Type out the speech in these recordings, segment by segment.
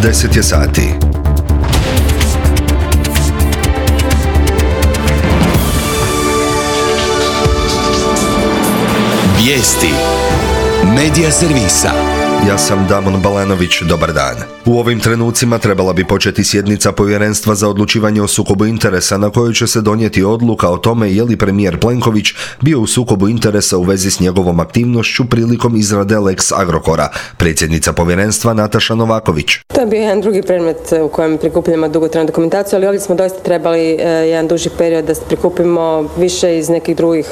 10 je sati. Vijesti Medija servisa. Ja sam Damon Balanović, dobar dan. U ovim trenucima trebala bi početi sjednica Povjerenstva za odlučivanje o sukobu interesa na kojoj će se donijeti odluka o tome je li premijer Plenković bio u sukobu interesa u vezi s njegovom aktivnošću prilikom izrade Lex Agrokora. Predsjednica povjerenstva Nataša Novaković. To je bio jedan drugi predmet u kojem prikupljamo dugotrajnu dokumentaciju, ali ovdje smo doista trebali jedan duži period da prikupimo više iz nekih drugih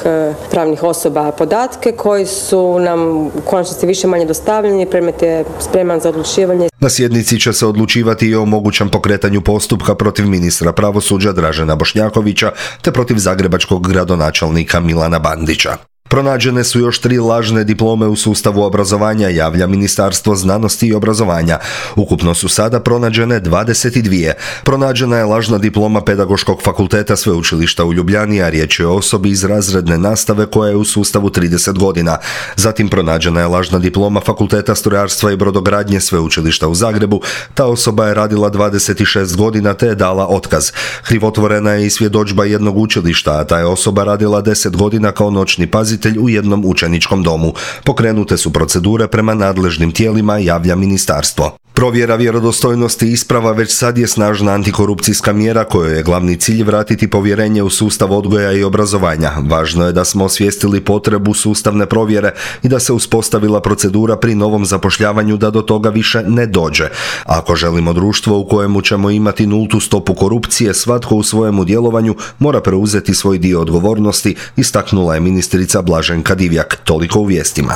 pravnih osoba podatke koji su nam u konačnici više manje dostavljeni. Predmet je spreman za odlučivanje. Na sjednici će se odlučivati i o mogućem pokretanju postupka protiv ministra pravosuđa Dražena Bošnjakovića te protiv zagrebačkog gradonačelnika Milana Bandića. Pronađene su još 3 lažne diplome u sustavu obrazovanja, javlja Ministarstvo znanosti i obrazovanja. Ukupno su sada pronađene 22. Pronađena je lažna diploma Pedagoškog fakulteta Sveučilišta u Ljubljani, a riječ je o osobi iz razredne nastave koja je u sustavu 30 godina. Zatim pronađena je lažna diploma Fakulteta strojarstva i brodogradnje Sveučilišta u Zagrebu. Ta osoba je radila 26 godina te je dala otkaz. Krivotvorena je i svjedodžba jednog učilišta, a ta je osoba radila 10 godina kao noćni pazitelj u jednom učeničkom domu. Pokrenute su procedure prema nadležnim tijelima, javlja ministarstvo. Provjera vjerodostojnosti isprava već sad je snažna antikorupcijska mjera kojoj je glavni cilj vratiti povjerenje u sustav odgoja i obrazovanja. Važno je da smo osvijestili potrebu sustavne provjere i da se uspostavila procedura pri novom zapošljavanju da do toga više ne dođe. Ako želimo društvo u kojemu ćemo imati nultu stopu korupcije, svatko u svojemu djelovanju mora preuzeti svoj dio odgovornosti, istaknula je ministrica Blaženka Divjak. Toliko u vijestima.